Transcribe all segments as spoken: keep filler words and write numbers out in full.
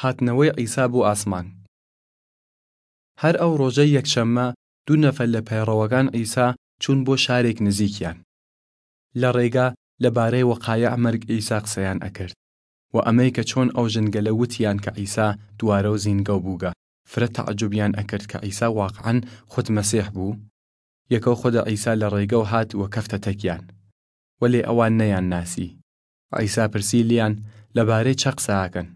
هاتنەوەی عیسا بۆ ئاسمان. هەر ئەو ڕۆژەی یەکشەممە، دوو نەفەر لە پەیڕەوەکان عیسا چوون بۆ شارێک نزیکیان. لە ڕێگا لەبارەی وەقایع مەرگ عیسا قسەیان ئەکرد، و ئەمەی کە چۆن ئەو ژنگەلە وتیان کە عیسا دووارەو زینگەو بووگە، فرە تەعجوبیان ئەکرد کە عیسا واقعەن خود مەسیح بوو. یەکەو خودە عیسا لە ڕێگەو هات و کەفتە تەکیان، وەلێ ئەوان نەیان ناسی. عیسا پرسی لیان، لەبارەی چە قسە ئاکەن؟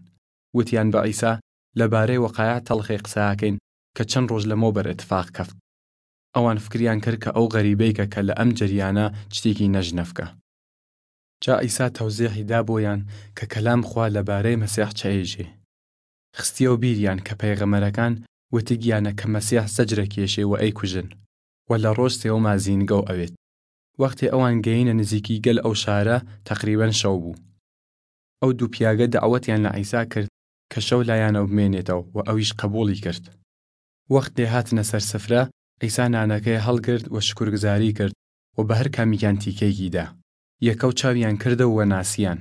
وتیان بە عیسا، لەبارەی وەقایع تەڵخێ قسە ئاکەین کە چەن ڕۆژ لەمەوبەر ئتفاق کەفت. ئەوان فکریان کرد کە ئەو غەریبەیکە کە لە ئەم جەریانە چتیکی نەژنەفکە. جا عیسا تەوزیحی دا بۆیان کە کەلام خوا لەبارەی مەسیح چەێژێ. خستیەو بیریان کە پەیغەمەرەکان وتگیانە کە مەسیح زەجرە کێشێ و ئەی کوژن، و لە ڕۆژ سێوەما زینگەو ئەوێت. وەختێ ئەوان گەینە نزیکی گەل ئەو شارە، تەقریبەن شەو بوو. ئەو دوو پیاگە دەعوەتیان لە عیسا کرد کە شەو لایانەو بمێنێتەو، و ئەویش قەبوڵی کرد. وەختێ هاتنە سەر سفرە، عیسا نانەکەی هەڵگرد و شکرگزاری کرد و بە هەر کامیکیان تیکەیکی دا. یەکەو چاویان کردەو و ناسیان.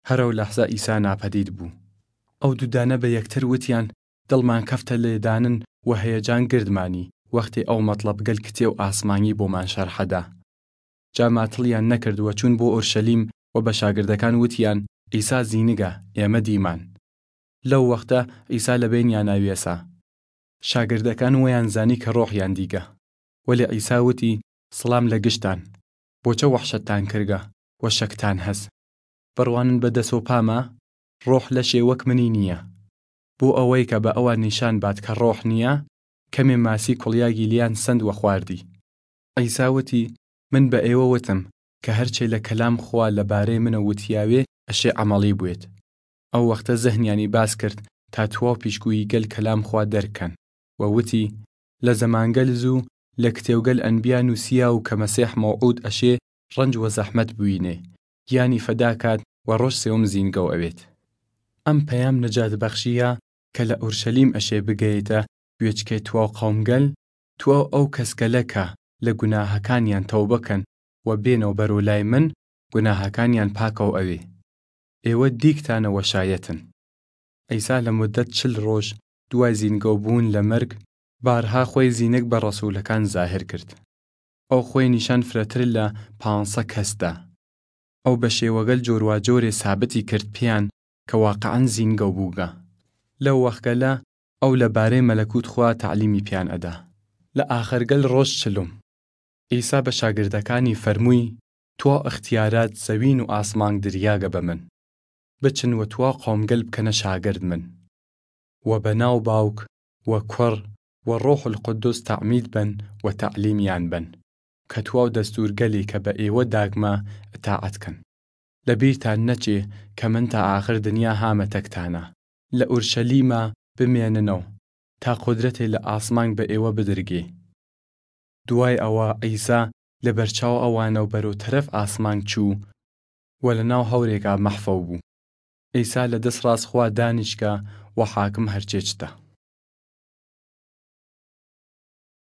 هەرەو لەحزە عیسا ناپەدید بوو. ئەو دوو دانە بە یەکتر وتیان، دڵمان کەفتە لێدانن و هەیەجان گردمانی وەختێ ئەو مەتڵەب گەل کتێو ئاسمانی بۆمان شەرحە دا. جا ماتڵیان نەکرد و چوون بۆ ئورشەلیم و بە شاگردەکان وتیان، عیسا زینگە، ئێمە دیمان. لەو وەختە عیسا لە بەینیانا ویەسا. شاگردەکان وەیان زانی کە ڕۆحیان دیگە. وەلێ عیسا وتی، سڵام لە گشتان. بۆچە وەحشەتتان کردگە و شەکتان هەس؟ بڕوانن بە دەس و پاما؟ ڕۆح لەشێ وەک منی نییە. بۆ ئەوەی کە بە ئەوان نیشان بات کە ڕۆح نییە، کەمێ ماسی کوڵیاگی لیان سەند و خواردی. عیسا وتی، من بە ئێوە وتم کە هەرچێ لە کەلام خوا لەبارەی منە وتیاوێ ئەشێ عەمەڵی بوێت. ئەو وەختە زهنیانی باس کرد تا تواو پیشگویی گەل کەلام خوا دەرکەن، و وتی، لە زەمانگەل زوو لە کتێوگەل ئەنبیا نووسیاو کە مەسیح مەوعود ئەشێ ڕەنج و زەحمەت بوینێ، گیانی فەدا کات و ڕۆژ سێوم زینگەو ئەوێت. ئەم پەیام نەجات بەخشیە کە لە ئورشەلیم ئەشێ بگەێتە گوێچکەی تواو قەومگەل، تواو ئەو کەسگەلە کە لە گوناهەکانیان تەوبە کەن و بێنەو بەرەو لای من، گوناهەکانیان پاکەو ئەوێ. ئێوە دیکتانە وە شایەتن. عیسا لە مودەت چل ڕۆژ دوای زینگەو بوون لە مەرگ، بارها خوەی زینگ بە ڕەسوولەکان زاهر کرد. ئەو خوەی نیشان فرەتر لە پانسە کەس دا. ئەو بە شێوەگەل جۆرواجۆرێ سابتی کرد پیان کە واقعەن زینگەو بووگە. لەو وەخگەلە ئەو لە بارەی مەلەکوت خوا تەعلیمی پیان ئەدا. لە ئاخرگەل ڕۆژ چلوم، عیسا بە شاگردەکانی فەرمووی، تواو ئختیارات زەوین و ئاسمانگ دریاگە بە من. بچن و تواو قەومگەل بکەنە شاگرد من. و بە ناو باوک و کوڕ و ڕۆح القودس تەعمید بەن و تەعلیمیان بەن، کە تواو دەستوورگەلی کە بە ئێوە داگمە ئتاعەت کەن. لە بیرتان نەچێ کە من تا ئاخر دنیا هامە تەکتانا. لە ئورشەلیما بمێننەو تا قودرەتێ لە ئاسمانگ بە ئێوە بدرگێ. دوای ئەوە عیسا لە بەرچاو ئەوانەو بەرەو تەرەف ئاسمانگ چوو و لە ناو هەورێکا مەحفەو بوو. عیسا لە دەس ڕاس خوا دانیشگە و حاکم هەرچێ چتە.